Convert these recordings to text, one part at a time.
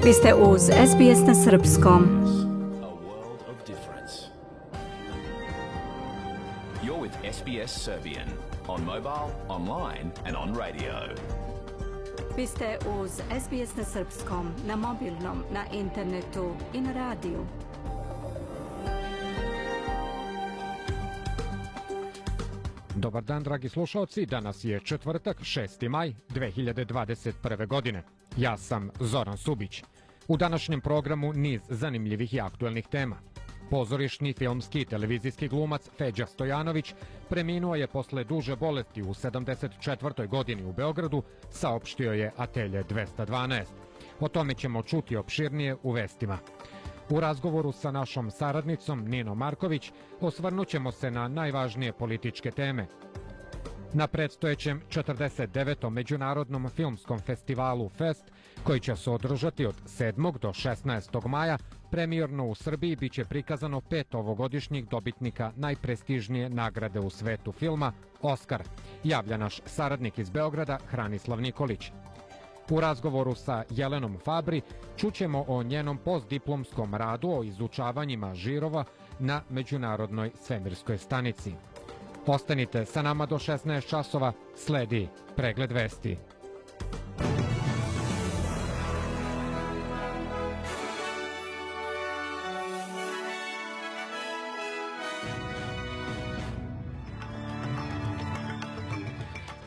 Vi ste uz SBS na srpskom. You're with SBS Serbian on mobile, online and on radio. Vi ste uz SBS na srpskom, na mobilnom, na internetu i na radiju. Dobar dan, dragi slušalci. Danas je četvrtak, 6. maj 2021. godine. Ja sam Zoran Subić. U današnjem programu niz zanimljivih i aktuelnih tema. Pozorišni, filmski i televizijski glumac Feđa Stojanović preminuo je posle duže bolesti u 74. godini u Beogradu, saopštio je Atelje 212. O tome ćemo čuti opširnije u vestima. U razgovoru sa našom saradnicom Ninom Marković osvrnut ćemo se na najvažnije političke teme. Na predstojećem 49. Međunarodnom filmskom festivalu Fest, koji će se održati od 7. do 16. maja, premijerno u Srbiji biće prikazano 5 ovogodišnjih dobitnika najprestižnije nagrade u svetu filma, Oskar, javlja naš saradnik iz Beograda Hranislav Nikolić. U razgovoru sa Jelenom Fabri čućemo o njenom postdiplomskom radu o izučavanjima žirova na Međunarodnoj svemirskoj stanici. Ostanite sa nama do 16 časova, sledi pregled vesti.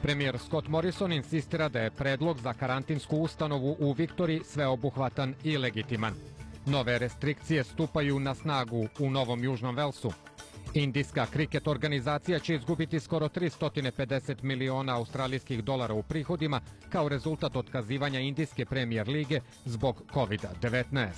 Premijer Scott Morrison insistira da je predlog za karantinsku ustanovu u Viktoriji sveobuhvatan i legitiman. Nove restrikcije stupaju na snagu u Novom Južnom Velsu. Indijska kriket organizacija će izgubiti skoro 350 miliona australijskih dolara u prihodima kao rezultat otkazivanja Indijske premijer lige zbog COVID-19.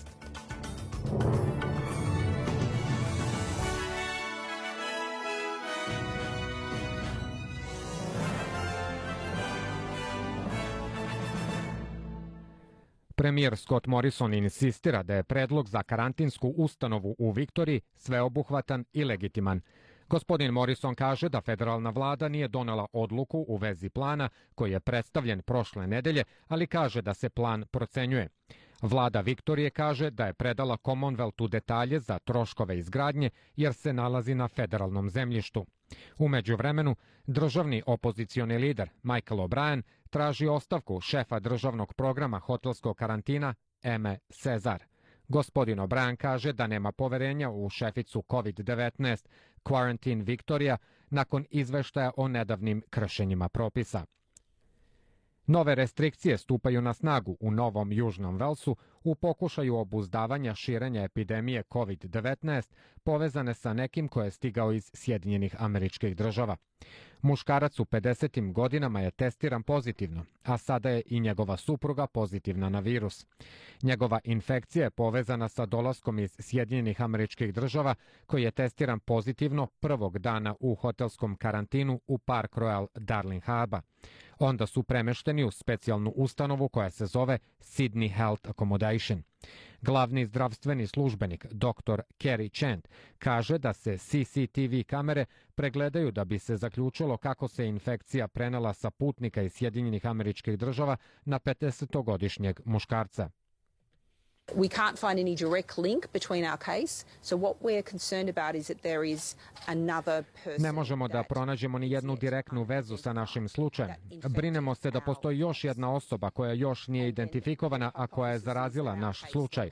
Premijer Scott Morrison insistira da je predlog za karantinsku ustanovu u Viktoriji sveobuhvatan i legitiman. Gospodin Morrison kaže da federalna vlada nije donela odluku u vezi plana koji je predstavljen prošle nedelje, ali kaže da se plan procenjuje. Vlada Viktorije kaže da je predala Commonwealthu detalje za troškove izgradnje jer se nalazi na federalnom zemljištu. U međuvremenu, državni opozicioni lider Michael O'Brien traži ostavku šefa državnog programa hotelskog karantina Eme Cezar. Gospodin O'Brien kaže da nema poverenja u šeficu COVID-19 Quarantine Victoria nakon izveštaja o nedavnim kršenjima propisa. Nove restrikcije stupaju na snagu u Novom Južnom Velsu u pokušaju obuzdavanja širenja epidemije COVID-19 povezane sa nekim koje je stigao iz Sjedinjenih Američkih Država. Muškarac u 50. godinama je testiran pozitivno, a sada je i njegova supruga pozitivna na virus. Njegova infekcija je povezana sa dolaskom iz Sjedinjenih Američkih Država koji je testiran pozitivno prvog dana u hotelskom karantinu u Park Royal Darling Harbour. Onda su premešteni u specijalnu ustanovu koja se zove Sydney Health Accommodation. Glavni zdravstveni službenik, dr. Kerry Chant, kaže da se CCTV kamere pregledaju da bi se zaključilo kako se infekcija prenela sa putnika iz Sjedinjenih Američkih Država na 50-godišnjeg muškarca. We can't find any direct link between our case, so what we're concerned about is that there is another person. Ne možemo da pronađemo ni jednu direktnu vezu sa našim slučajem. Brinemo se da postoji još jedna osoba koja još nije identifikovana, a koja je zarazila naš slučaj.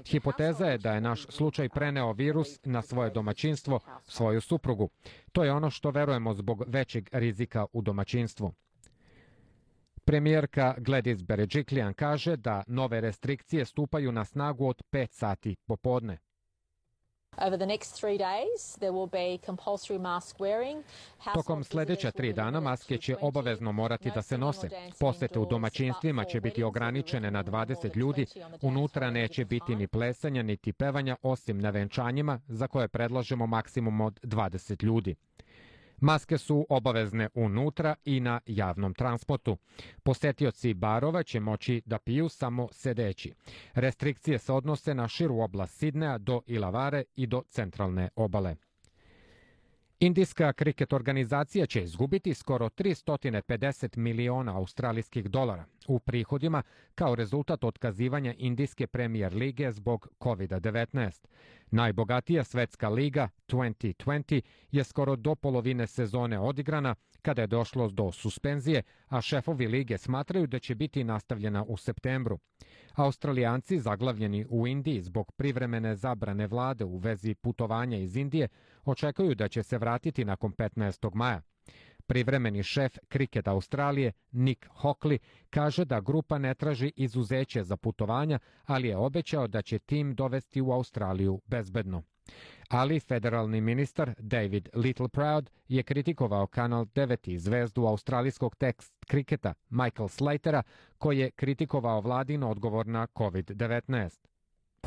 Hipoteza je da je naš slučaj preneo virus na svoje domaćinstvo, svoju suprugu. To je ono što verujemo zbog većeg rizika u domaćinstvu. Premijerka Gladys Berejiklian kaže da nove restrikcije stupaju na snagu od 5 sati popodne. Tokom sljedeća 3 dana maske će obavezno morati da se nose. Posete u domaćinstvima će biti ograničene na 20 ljudi, unutra neće biti ni plesanja niti pevanja osim na venčanjima za koje predlažemo maksimum od 20 ljudi. Maske su obavezne unutra i na javnom transportu. Posetioci barova će moći da piju samo sedeći. Restrikcije se odnose na širu oblast Sidneja do Ilavare i do centralne obale. Indijska kriket organizacija će izgubiti skoro 350 miliona australijskih dolara, u prihodima kao rezultat otkazivanja indijske premijer lige zbog COVID-19. Najbogatija svetska liga 2020 je skoro do polovine sezone odigrana kada je došlo do suspenzije, a šefovi lige smatraju da će biti nastavljena u septembru. Australijanci zaglavljeni u Indiji zbog privremene zabrane vlade u vezi putovanja iz Indije očekuju da će se vratiti nakon 15. maja. Privremeni šef Kriketa Australije, Nick Hockley, kaže da grupa ne traži izuzeće za putovanja, ali je obećao da će tim dovesti u Australiju bezbedno. Ali federalni ministar David Littleproud je kritikovao Kanal 9 i zvezdu australijskog tekst kriketa Michael Slatera, koji je kritikovao vladin odgovor na COVID-19.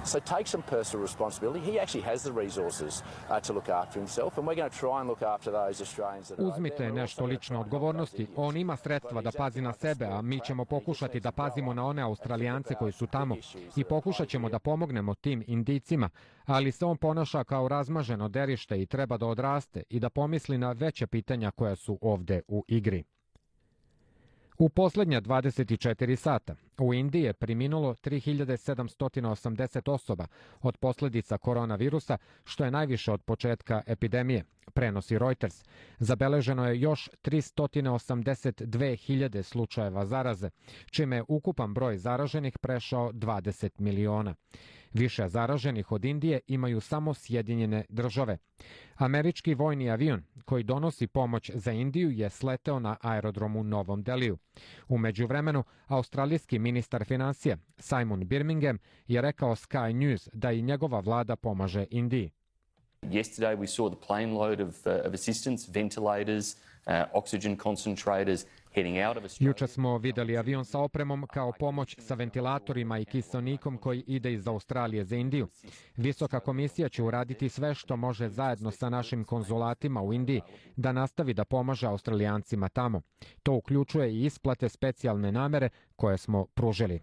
So take some personal responsibility. He actually has the resources to look after himself, and we're going to try and look after those Australians that are out there. Uzmite nešto lično odgovornosti. On ima sredstva da pazi na sebe, a mi ćemo pokušati da pazimo na one Australijance koji su tamo i pokušat ćemo da pomognemo tim Indijcima, ali se on ponaša kao razmaženo derište i treba da odraste i da pomisli na veća pitanja koja su ovde u igri. U poslednja 24 sata u Indiji je preminulo 3780 osoba od posljedica koronavirusa, što je najviše od početka epidemije, prenosi Reuters. Zabeleženo je još 382.000 slučajeva zaraze, čime je ukupan broj zaraženih prešao 20 miliona. Više zaraženih od Indije imaju samo Sjedinjene države. Američki vojni avion koji donosi pomoć za Indiju je sleteo na aerodromu Novom Deliju. U međuvremenu, australijski ministar financija Simon Birmingham je rekao Sky News da i njegova vlada pomaže Indiji. Yesterday we saw the plane load of assistance, ventilators, oxygen concentrators heading out of Australia. Juče smo videli avion sa opremom kao pomoć sa ventilatorima i kiseonikom koji ide iz Australije za Indiju. Visoka komisija će uraditi sve što može zajedno sa našim konzulatima u Indiji da nastavi da pomaže Australijancima tamo. To uključuje i isplate specijalne namere koje smo pružili.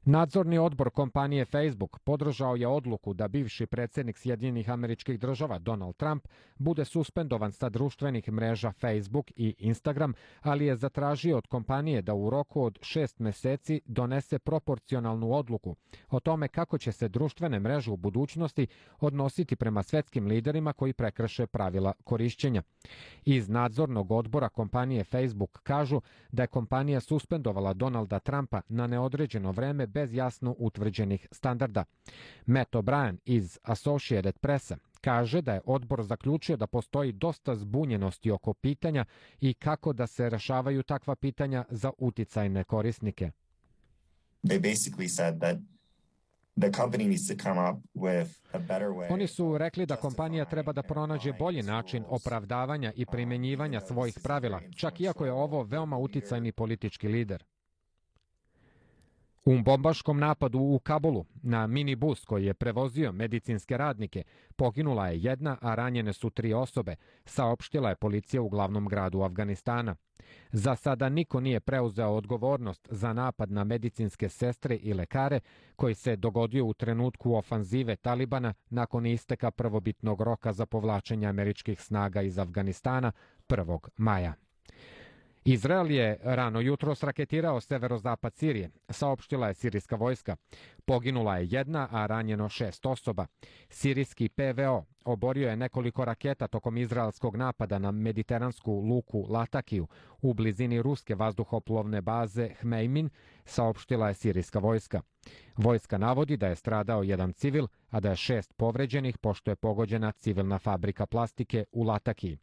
Nadzorni odbor kompanije Facebook podržao je odluku da bivši predsjednik Sjedinjenih Američkih Država Donald Trump bude suspendovan sa društvenih mreža Facebook i Instagram, ali je zatražio od kompanije da u roku od 6 meseci donese proporcionalnu odluku o tome kako će se društvene mreže u budućnosti odnositi prema svetskim liderima koji prekrše pravila korišćenja. Iz nadzornog odbora kompanije Facebook kažu da je kompanija suspendovala Donalda Trumpa na neodređeno vreme bez jasno utvrđenih standarda. Matt O'Brien iz Associated Pressa kaže da je odbor zaključio da postoji dosta zbunjenosti oko pitanja i kako da se rešavaju takva pitanja za uticajne korisnike. Oni su rekli da kompanija treba da pronađe bolji način opravdavanja i primenjivanja svojih pravila, čak iako je ovo veoma uticajni politički lider. U bombaškom napadu u Kabulu na minibus koji je prevozio medicinske radnike poginula je jedna, a ranjene su 3 osobe, saopštila je policija u glavnom gradu Afganistana. Za sada niko nije preuzeo odgovornost za napad na medicinske sestre i lekare koji se dogodio u trenutku ofanzive Talibana nakon isteka prvobitnog roka za povlačenje američkih snaga iz Afganistana 1. maja. Izrael je rano jutros raketirao severozapad Sirije, saopštila je sirijska vojska. Poginula je jedna, a ranjeno 6 osoba. Sirijski PVO oborio je nekoliko raketa tokom izraelskog napada na mediteransku luku Latakiju u blizini ruske vazduhoplovne baze Hmeimin, saopštila je sirijska vojska. Vojska navodi da je stradao jedan civil, a da je 6 povređenih pošto je pogođena civilna fabrika plastike u Latakiji.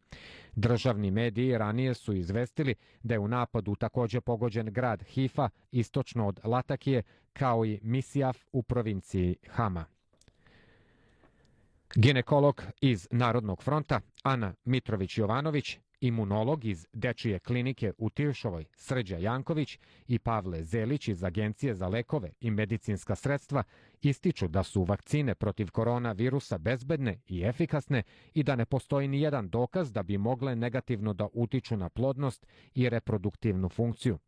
Državni mediji ranije su izvestili da je u napadu također pogođen grad Hifa, istočno od Latakije, kao i Misijaf u provinciji Hama. Ginekolog iz Narodnog fronta Ana Mitrović-Jovanović, imunolog iz Dečije klinike u Tiršovoj Srđa Janković i Pavle Zelić iz Agencije za lekove i medicinska sredstva ističu da su vakcine protiv koronavirusa bezbedne i efikasne i da ne postoji ni jedan dokaz da bi mogle negativno da utiču na plodnost i reproduktivnu funkciju.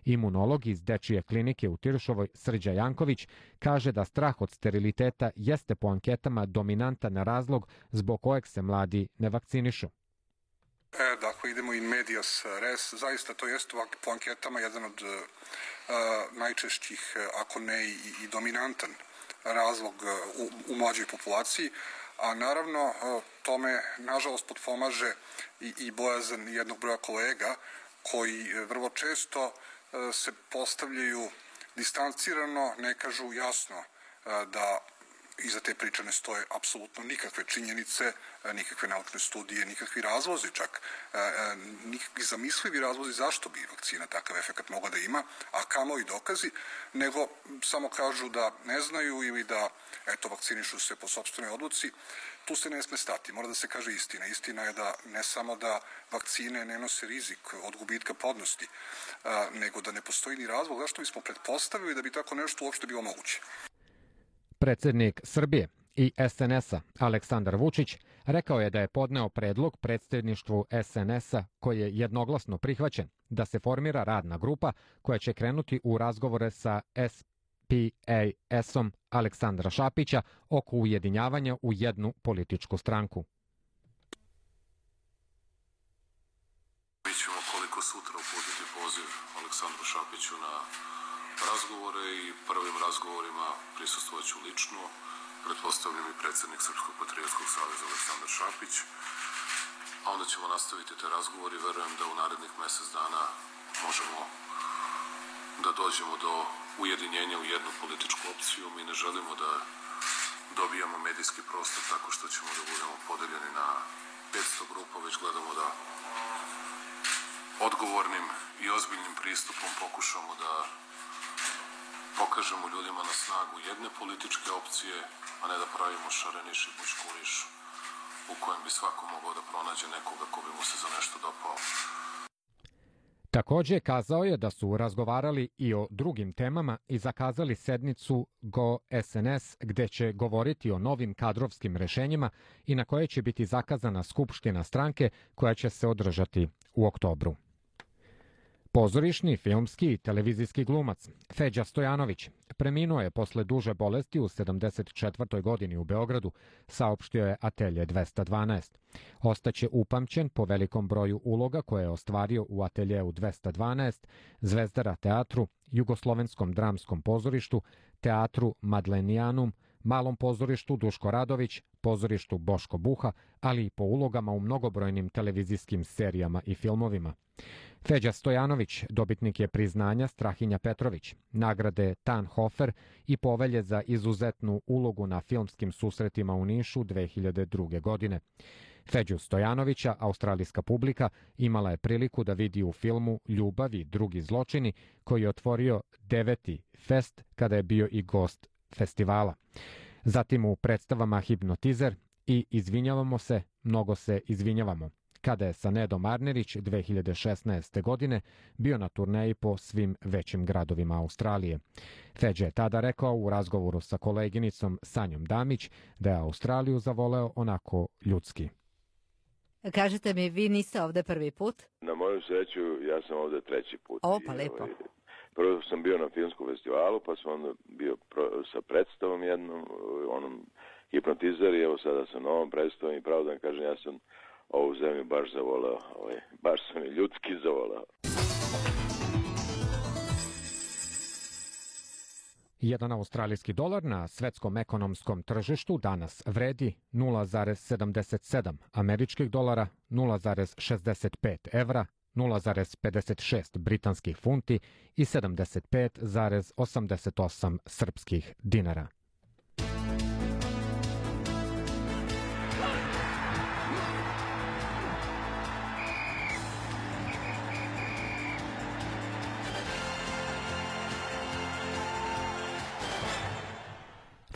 Imunolog iz Dečije klinike u Tiršovoj Srđa Janković kaže da strah od steriliteta jeste po anketama dominantan razlog zbog kojeg se mladi ne vakcinišu. Dakle, idemo in medias res. Zaista to jeste po anketama jedan od najčešćih, ako ne i dominantan razlog u mlađoj populaciji, a naravno tome nažalost potpomaže i bojazan jednog broja kolega koji vrlo često se postavljaju distancirano, ne kažu jasno da iza te priče ne stoje apsolutno nikakve činjenice, nikakve naučne studije, nikakvi razlozi čak, nikakvi zamislivi razlozi zašto bi vakcina takav efekat mogla da ima, a kamo i dokazi, nego samo kažu da ne znaju ili da, eto, vakcinišu se po sopstvenoj odluci. Tu se ne sme stati, mora da se kaže istina. Istina je da ne samo da vakcine ne nose rizik od gubitka plodnosti, nego da ne postoji ni razlog zašto bismo pretpostavili da bi tako nešto uopšte bilo moguće. Predsednik Srbije i SNS-a Aleksandar Vučić rekao je da je podneo predlog predsjedništvu SNS-a koji je jednoglasno prihvaćen da se formira radna grupa koja će krenuti u razgovore sa SPAS-om Aleksandra Šapića oko ujedinjavanja u jednu političku stranku. Mi ćemo koliko sutra uputiti poziv Aleksandru Šapiću na razgovore i prvim razgovorima prisustvovat ću lično, pretpostavljam i predsjednik Srpskog patriotskog saveza Aleksandar Šapić, a onda ćemo nastaviti te razgovore i verujem da u narednih mjesec dana možemo da dođemo do ujedinjenja u jednu političku opciju. Mi ne želimo da dobijamo medijski prostor tako što ćemo da budemo podeljeni na 500 grupa, već gledamo da odgovornim i ozbiljnim pristupom pokušamo da pokažemo ljudima na snagu jedne političke opcije, a ne da pravimo šareniš i bučkuriš u kojem bi svako mogao da pronađe nekoga ko bi mu se za nešto dopao. Također kazao je da su razgovarali i o drugim temama i zakazali sednicu Go SNS gdje će govoriti o novim kadrovskim rešenjima i na koje će biti zakazana skupština stranke koja će se održati u oktobru. Pozorišni, filmski i televizijski glumac Feđa Stojanović preminuo je posle duže bolesti u 74. godini u Beogradu, saopštio je Atelje 212. Ostaće upamćen po velikom broju uloga koje je ostvario u Ateljeu 212, Zvezdara teatru, Jugoslovenskom dramskom pozorištu, Teatru Madlenijanum, Malom pozorištu Duško Radović, pozorištu Boško Buha, ali i po ulogama u mnogobrojnim televizijskim serijama i filmovima. Feđa Stojanović dobitnik je priznanja Strahinja Petrović, nagrade Tannhofer i povelje za izuzetnu ulogu na filmskim susretima u Nišu 2002. godine. Feđu Stojanovića australijska publika imala je priliku da vidi u filmu Ljubav i drugi zločini, koji je otvorio 9. fest kada je bio i gost festivala. Zatim u predstavama Hipnotizer i Izvinjavamo se, mnogo se izvinjavamo, kada je sa Nedom Arnerić 2016. godine bio na turneji po svim većim gradovima Australije. Feđa je tada rekao u razgovoru sa koleginicom Sanjom Damić da je Australiju zavoleo onako ljudski. Kažete mi, vi niste ovde prvi put? Na moju sreću, ja sam ovde treći put. O, pa lepo. Prvo sam bio na filmskom festivalu, pa sam onda bio sa predstavom jednom, onom Hipnotizer, i evo sada sa novom predstavom i pravo da vam kažem, ja sam ovu zemlju baš zavolao, baš sam i ljudski zavolao. Jedan australijski dolar na svetskom ekonomskom tržištu danas vredi 0,77 američkih dolara, 0,65 evra, 0,56 britanskih funti i 75,88 srpskih dinara.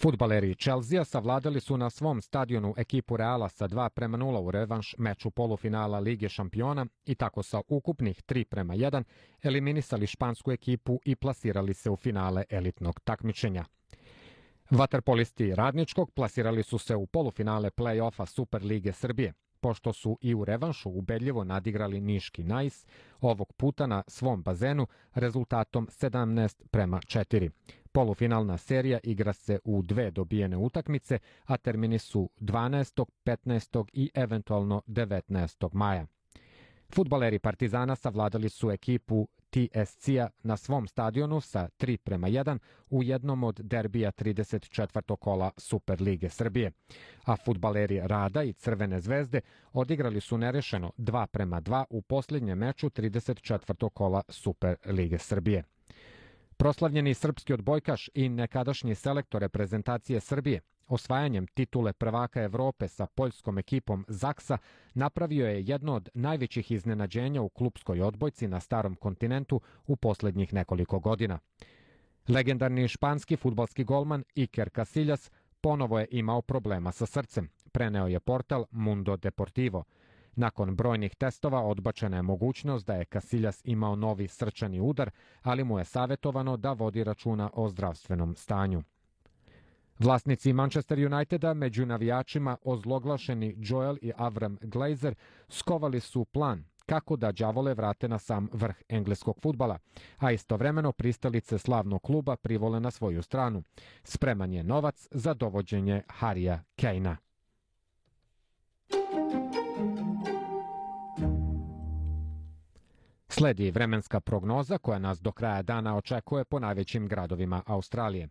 Fudbaleri Chelsea savladali su na svom stadionu ekipu Reala sa 2:0 u revanš meču polufinala Lige šampiona i tako sa ukupnih 3:1 eliminisali špansku ekipu i plasirali se u finale elitnog takmičenja. Vaterpolisti Radničkog plasirali su se u polufinale play-offa Super Lige Srbije, pošto su i u revanšu ubedljivo nadigrali niški Nais, ovog puta na svom bazenu rezultatom 17:4. Polufinalna serija igra se u 2 dobijene utakmice, a termini su 12., 15. i eventualno 19. maja. Fudbaleri Partizana savladali su ekipu TSC-a na svom stadionu sa 3:1 u jednom od derbija 34. kola Super lige Srbije. A fudbaleri Rada i Crvene zvezde odigrali su nerešeno 2:2 u posljednjem meču 34. kola Super lige Srbije. Proslavljeni srpski odbojkaš i nekadašnji selektor reprezentacije Srbije osvajanjem titule prvaka Evrope sa poljskom ekipom Zaksa napravio je jedno od najvećih iznenađenja u klupskoj odbojci na starom kontinentu u posljednjih nekoliko godina. Legendarni španski fudbalski golman Iker Casillas ponovo je imao problema sa srcem, preneo je portal Mundo Deportivo. Nakon brojnih testova odbačena je mogućnost da je Casillas imao novi srčani udar, ali mu je savjetovano da vodi računa o zdravstvenom stanju. Vlasnici Manchester Uniteda među navijačima ozloglašeni Joel i Avram Glazer skovali su plan kako da đavole vrate na sam vrh engleskog fudbala, a istovremeno pristalice slavnog kluba privole na svoju stranu. Spreman je novac za dovođenje Harrya Kanea. Sledi vremenska prognoza koja nas do kraja dana očekuje po najvećim gradovima Australije.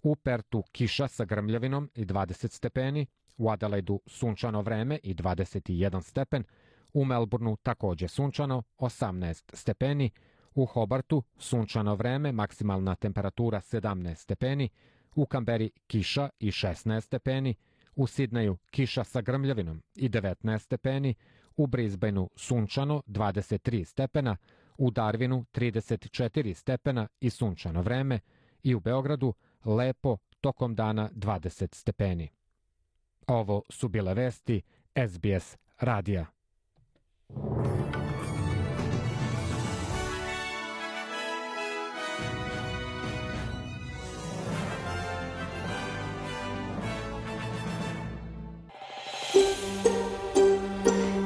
U Pertu kiša sa grmljavinom i 20 stepeni, u Adelaidu sunčano vreme i 21 stepen, u Melbourneu također sunčano 18 stepeni, u Hobartu sunčano vreme, maksimalna temperatura 17 stepeni, u Kamberi kiša i 16 stepeni, u Sidneju kiša sa grmljavinom i 19 stepeni, u Brisbaneu sunčano 23 stepena, u Darwinu 34 stepena i sunčano vreme i u Beogradu lepo tokom dana 20 stepeni. Ovo su bile vesti SBS radija.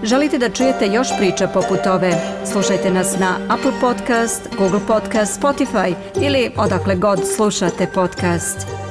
Želite da čujete još priča poput ove? Slušajte nas na Apple Podcast, Google Podcast, Spotify ili odakle god slušate podcast.